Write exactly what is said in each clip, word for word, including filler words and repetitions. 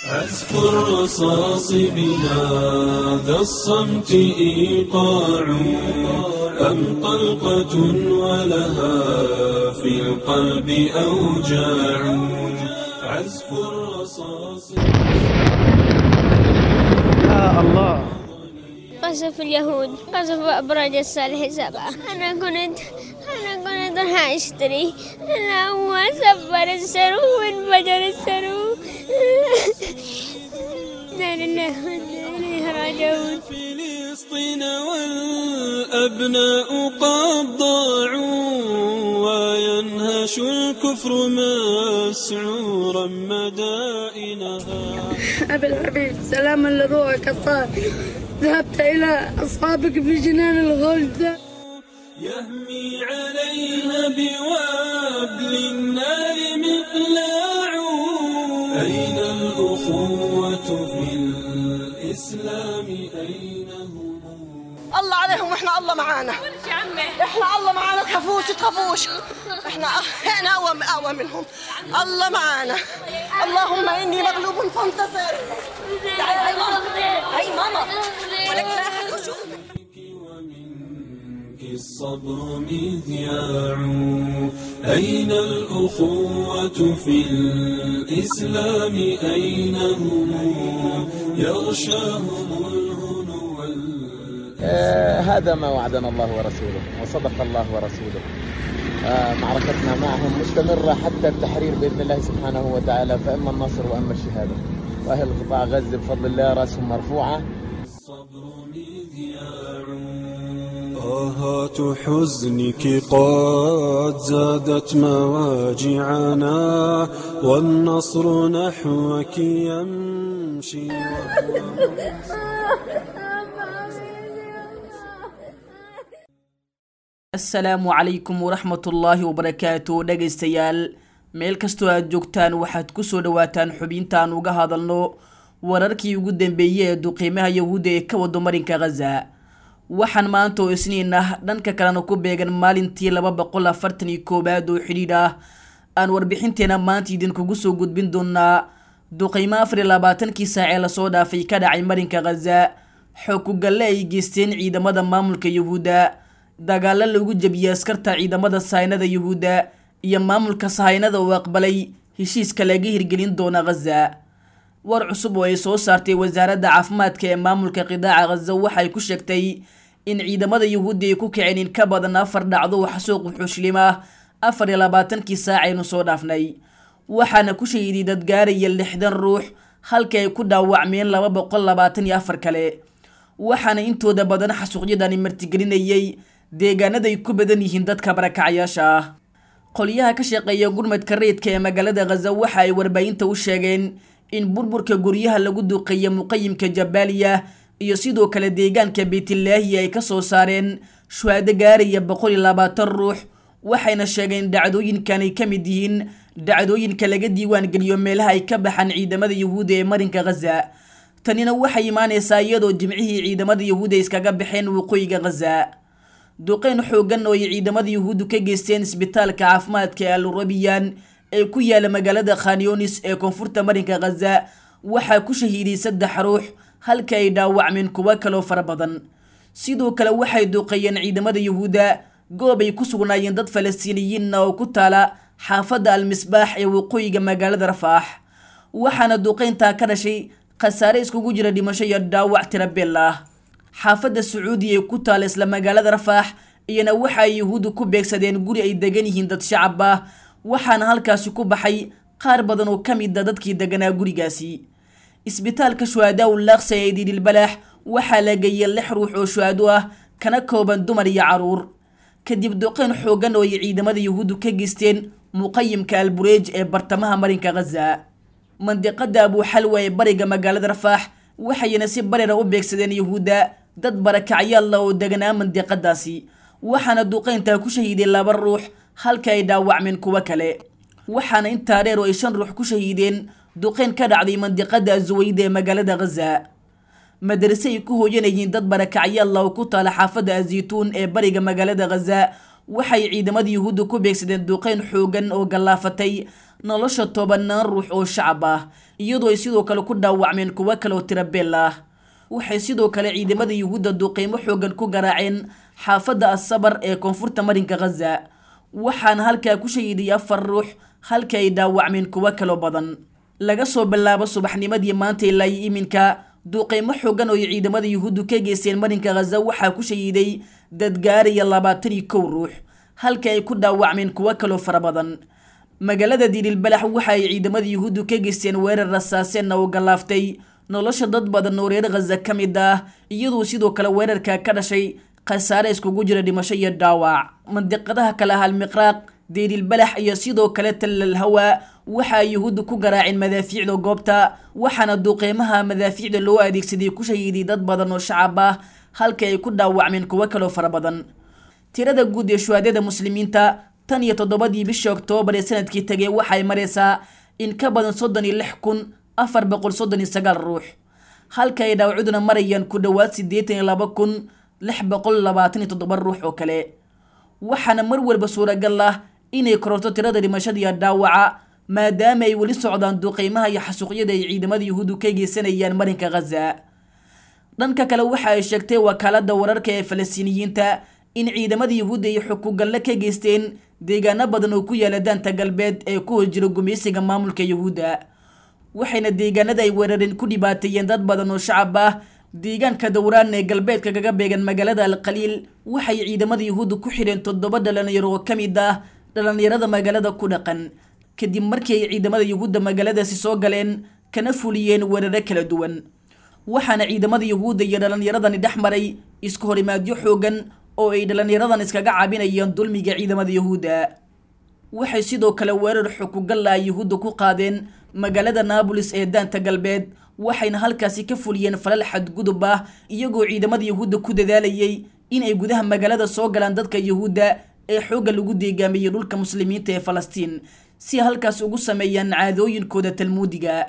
عزف الرصاص بهذا الصمت إيقاع أم طلقة ولها في القلب أوجاع عزف الرصاص. يا الله، قصف اليهود، قصف أبراج الصالح سبعة. أنا كنت أنا كنت راح أشتري، أنا هو سفر السرو وانفجر السرو. لا لله إليه راجعون. فلسطين والأبناء قد ضاعوا وينهش الكفر مسعورا مدائنها. أبي الحبيب، سلاما لروحك الطاهر، ذهبت إلى أصحابك في جنان الغلد. يهمي عليها بوابل النار مقلاع. أين الأخوة في الإسلام أين هم؟ الله عليهم واحنا الله معانا، احنا الله معانا، تخافوش تخافوش، احنا احنا اقوى اقوى منهم، الله معانا. اللهم اني مغلوب فانتصر. تعالي هاي ماما، هاي ماما، ولك لا احد يشوف. ومنك الصبر مذياع. أين الأخوة في الإسلام أين هم؟ يغشاهم الهنو. آه هذا ما وعدنا الله ورسوله وصدق الله ورسوله. آه معركتنا معهم مستمرة حتى التحرير بإذن الله سبحانه وتعالى، فإما النصر وإما الشهادة. وأهل قطاع غزة بفضل الله رأسهم مرفوعة. الصبر مذياع. آهات حزنك قد زادت مواجعنا والنصر نحوك يمشي. Asalaamu calaykum waraxmatullaahi wabarakaatu. Dhegaystayaal, meel kastoo aad joogtaan waxaad kusoo dhawaataan xubintaan uga hadalno wararkii ugu dambeeyey ee duqiimaha yahuudda ee ka wado marinka Khaza. Waxaan maanta oo isniin ah, dhanka kalena ku beegan maalintii laba boqol afartan iyo koowaad oo xidhiidh ah, aan warbixinteena maanta idinkugu soo gudbin doonaa duqiimo afar iyo labaatankii saac ee lasoo dhaafay ka dhacay marinka Khaza, xog ku-galle ay geysteen ciidamada maamulka yahuudda, dagaalo lagu jebiyey askarta ciidamada sahaynada yuhuudda, iyo maamulka sahaynada oo aqbalay heshiiska laga hirgelin doona Khaza. War cusub oo ay soo saartay wasaaradda caafimaadka ee maamulka qidaaca Khaza waxay ku sheegtay in ciidamada yuhuudda ay ku kaceen in ka badan afar dhacdo oo xasuuq wuxuushlim ah afar iyo labaatankii saac aynu soo dhaafnay, waxaana ku shahiiday dad gaaraya lixdan ruux, halka ay ku dhaawacmeen laba boqol labaatan iyo afar kale. Waxaana intooda badan xasuuqyadani martigelinayay deegaanada ay ku badan yihiin dadka barakacyaasha ah. Qolyaha ka shaqeeya gurmadka rayidka ee magaalada Khaza waxa ay warbaahinta u sheegeen in burburka guryaha lagu duqeeya muqayimka Jabaaliya iyo sidoo kale deegaanka Beytlaahi ay ka soo saareen shuhaado gaaraya boqol iyo labaatan ruux, waxayna sheegeen dhacdooyinkan ay ka mid yihiin dhacdooyinka laga diiwaan geliyo meelaha ay ka baxaan ciidamada yuhuudda ee marinka Khaza. Tanina waxay imaanaysaa iyadoo jimcihii ciidamada yuhuudda iskaga baxeen waqooyiga Khaza. Duqeyn xooggan oo ay ciidamada yuhuuddu ka geysteen isbitaalka caafimaadka ee Al-Rabiyan ee ku yaala magaalada Khan Yunis ee koonfurta marinka Khaza waxaa ku shahiiday saddex ruux, halka ay dhaawacmeen kuwo kaloo fara badan. Sidoo kale waxay duqeeyeen ciidamada yuhuudda goob ay ku sugnaayeen dad Falastiiniyiinna oo ku taala xaafadda Al-Misbaax ee waqooyiga magaalada Rafaax, waxaana duqeyntaa ka dhashay khasaare iskugu jira dhimasho iyo dhaawac tirabeel ah. Xaafadda Sacuudiya ee ku taala isla magaalada Rafaax iyana waxa ay yuhuuddu ku beegsadeen guri ay degan yihiin dad shacab ah, waxaana halkaasi ku baxay qaar badan oo ka mid a dadkii deganaa gurigaasi. Isbitaalka Shuhadaa ul Aqsa ee Diilbalaax waxaa la geeyey lix ruux oo shuhado ah, kana kooban dumar iyo caruur, kadib duqeyn xooggan oo ay ciidamada yuhuuddu ka geysteen muqayimka Albureej ee bartamaha marinka Khaza. Mandiqada Abuxalwa ee bariga magaalada Rafaax waxayna si barera u beegsadeen yuhuudda dad barakacyaalla oo deganaa mandiqadaasi, waxaana duqeyntaa ku shahiiday laba ruux, halka ay dhaawacmeen kuwo kale. Waxaana intaa dheer oo ay shan ruux ku shahiideen duqeyn ka dhacday mandiqada Azuweyda ee magaalada Khaza. Madarase ay ku hooyanayeen dad barakacyaalla oo ku taala xaafadda Azituun ee bariga magaalada Khaza waxay ciidamada Yuhuudda ku beegsadeen duqeyn xoogan oo gallaafatay nolosha tobanaan ruux oo shacab ah, iyadoo ay sidoo kale ku dhaawacmeen kuwo kale oo tirabeel ah. Waxay sidoo kale ciidamada Yuhuudda duqeymo xoogan ku garaaceen xaafadda As-Sabar ee koonfurta marinka Gaza, waxaana halkaa ku shahiiday afar ruux halka ay dhaawacmeen kuwo kaloo badan. Laga soo bilaabo subaxnimadii maanta ilaa iminka, duqeymo xoogan oo ay ciidamada Yuhuuddu ka geysteen marinka Gaza waxaa ku shahiiday dad gaaraya labaatan iyo kow ruux, halka ay ku dhaawacmeen kuwo kaloo fara badan. Magaalada Diililbalax waxa ay ciidamada Yuhuuddu ka geysteen weerar rasaaseen oo galaaftay nolosha dad badan oo reer Gaza ka mid ah, iyadoo sidoo kale weerarka ka dhashay khasaare iskugu jira dhimasho iyo dhaawac. Mandiqadaha kale ah Al-Miqraaq, Diililbalax iyo sidoo kale Tal Al-Hawa waxa ay Yuhuuddu ku garaaceen madaafiicda goobta, waxaana duqeymaha madaafiicda loo adeegsaday ku shahiiday dad badan oo shacab ah, halka ay ku dhaawacmeen kuwo kaloo fara badan. Tirada guud ee shuhadada muslimiinta tan iyo toddobadii bishii Oktoobar ee sanadkii tagay waxay maraysaa in ka badan soddon iyo lix kun afar boqol soddon iyo sagaal ruux, halka ay dhaawacduna marayaan ku dhowaad siddeetan iyo laba kun lix boqol labaatan iyo toddoba ruux oo kale. Waxaana mar walba suuragal ah inay kororto tirada dhimashada iyo dhaawaca, maadaama ay weli socdaan duqeymaha iyo xasuuqyada ay ciidamada Yuhuuddu ka geysanayaan marinka Gaza. Dhanka kale waxa ay sheegtay wakaaladda wararka ee Falastiiniyiinta in ciidamada Yuhuudda ay xukugalle ka geysteen deegaano badan oo ku yaala daanta galbeed ee ku jira gumeysiga maamulka Yuhuudda, waxayna deegaanada ay weerareen ku dhibaateeyeen dad badan oo shacab ah. Deegaanka Dowraan ee galbeedka kaga beegan magaalada Al-Qaliil waxay ciidamada Yuhuudda ku xidheen toddoba dhalinyaro oo ka mid ah dhalinyarada magaalada ku dhaqan, kadib markii ay ciidamada Yuhuudda magaaladaasi soo galeen kana fuliyeen weeraro kala duwan. Waxaana ciidamada Yuhuudda iyo dhalinyaradani dhex maray isku horimaadyo xoogan oo ay dhalinyaradan iskaga caabinayaan dulmiga ciidamada Yuhuudda. Waxay sidoo kale weerar xukugalla ay Yuhuudda ku qaadeen magaalada Naabulis ee daanta galbeed, waxayna halkaasi ka fuliyeen falal xadgudub ah, iyagoo ciidamada Yuhuudda ku dadaalayay in ay gudaha magaalada soo galaan dadka Yuhuudda ee xoogga lagu deegaamiyey dhulka muslimiinta ee Falastiin, si halkaas ugu sameeyaan caadooyinkooda talmuudiga.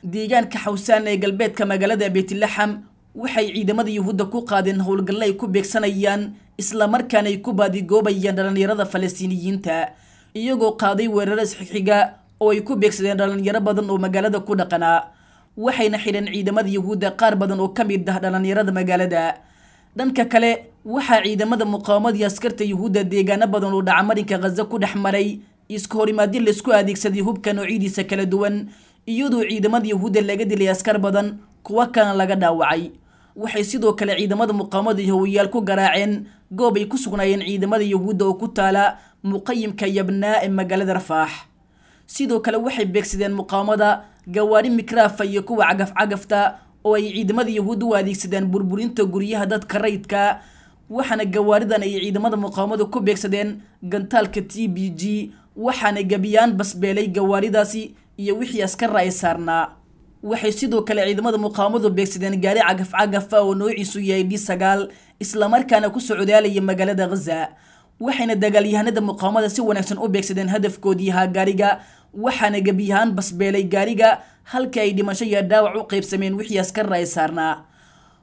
Deegaanka Xawsaan ee galbeedka magaalada Beytlaxam waxay ciidamada Yuhuudda ku qaadeen howlgallo ay ku beegsanayaan isla markaana ay ku baadigoobayaan dhalinyarada Falastiiniyiinta, iyagoo qaaday weeraro isxigxiga oo ay ku beegsadeen dhalinyaro badan oo magaalada ku dhaqanaa. Waxayna xidheen ciidamada Yuhuudda qaar badan oo ka mid ah dhalinyarada magaalada. Dhanka kale waxaa ciidamada muqaawamada iyo askarta Yuhuudda deegaano badan oo dhaca marinka Gaza ku dhex maray isku horimaadyo laisku adeegsaday hubka noocyadiisa kala duwan, iyadoo ciidamada Yuhuudda laga dilay askar badan, kuwa kalena laga dhaawacay. Waxay sidoo kale ciidamada muqaawamada yahuudiyaal ku garaaceen goob ay ku sugnaayeen ciidamada Yuhuudda oo ku taala muqayimka Yabnaa ee magaalada Rafaax. Sidoo kale waxay beegsadeen muqaawamada gawaari mikraafa iyo kuwa cagaf-cagafta oo ay ciidamada Yuhuudda u adeegsadeen burburinta guryaha dadka rayidka, waxaana gawaaridan ay ciidamada muqaawamadu ku beegsadeen gantaalka T B G, waxaana gabiyaan basbeelay gawaaridaasi iyo wixii askar ay saarnaa. Waxay sidoo kale ciidamada muqaawamadu beegsadeen gaari cagaf-cagaf ah oo noociisu yahay D sagaal, isla markaana ku socdaalaya magaalada Gaza. Waxayna dagaalyahanada muqaawamada si wanaagsan u beegsadeen hadafkoodii ahaa gaariga, waxaana gebiyahaan basbeelay gaariga halka ay dhimasho iyo dhaawac u qaybsameen wixii askar ay saarnaa.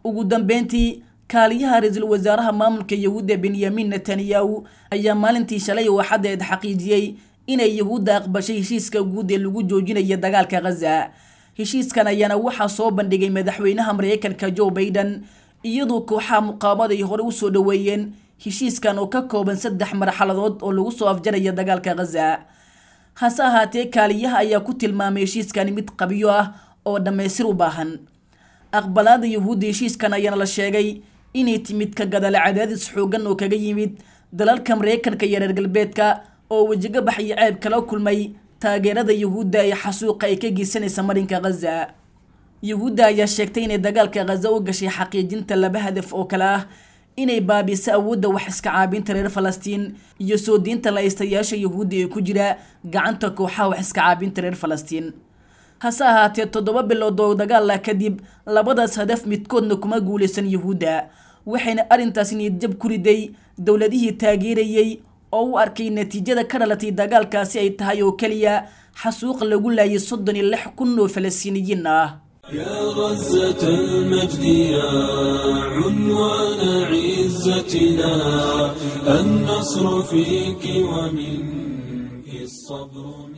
Ugu dambeyntii, kaaliyaha ra'iisul wasaaraha maamulka Yuhuudda Benyamin Netanyahu ayaa maalintii shalay oo Axadda xaqiijiyey inay Yuhuudda aqbashay heshiiska guud ee lagu joojinayo dagaalka Gaza. Heshiiskan ayaana waxaa soo bandhigay madaxweynaha Mareykanka Joe Biden, iyadoo kooxaha muqaawamada ay hore u soo dhoweeyeen heshiiskan oo ka kooban saddex marxaladood oo lagu soo afjaraya dagaalka Gaza. Hase ahaatee, kaaliyaha ayaa ku tilmaamay heshiiskani mid qabyo ah oo dhammaystir u baahan. Aqbalaada Yuhuudda heshiiskan ayaana la sheegay inay timid ka gadaal cadaadis xooggan oo kaga yimid dalalka Mareykanka iyo reer galbeedka oo wejigabax iyo ceeb kala kulmay taageerada Yuhuudda ee xasuuqa ay ka geysanaysa marinka Gaza. Yuhuudda ayaa sheegtay inay dagaalka Gaza u gashay xaqiijinta laba hadaf oo kale ah: inay baabiso awoodda wax iska caabinta reer Falastiin iyo soo diinta laystayaasha Yuhuudda ee ku jira gacanta kooxaha wax iska caabinta reer Falastiin. Hase ahaatee, toddoba bilood oo dagaal ah kadib, labadaas hadaf midkoodna kuma guuleysan Yuhuudda, waxayna arrintaasi niyadjab ku riday dowladihii taageerayay oo u arkay natiijada ka dhalatay dagaalkaasi ay tahay oo keliya xasuuq lagu laayay soddon iyo lix kun oo Falastiiniyiin ah. يا غزة المجد يا عنوان عزتنا، النصر فيك ومنك الصبر.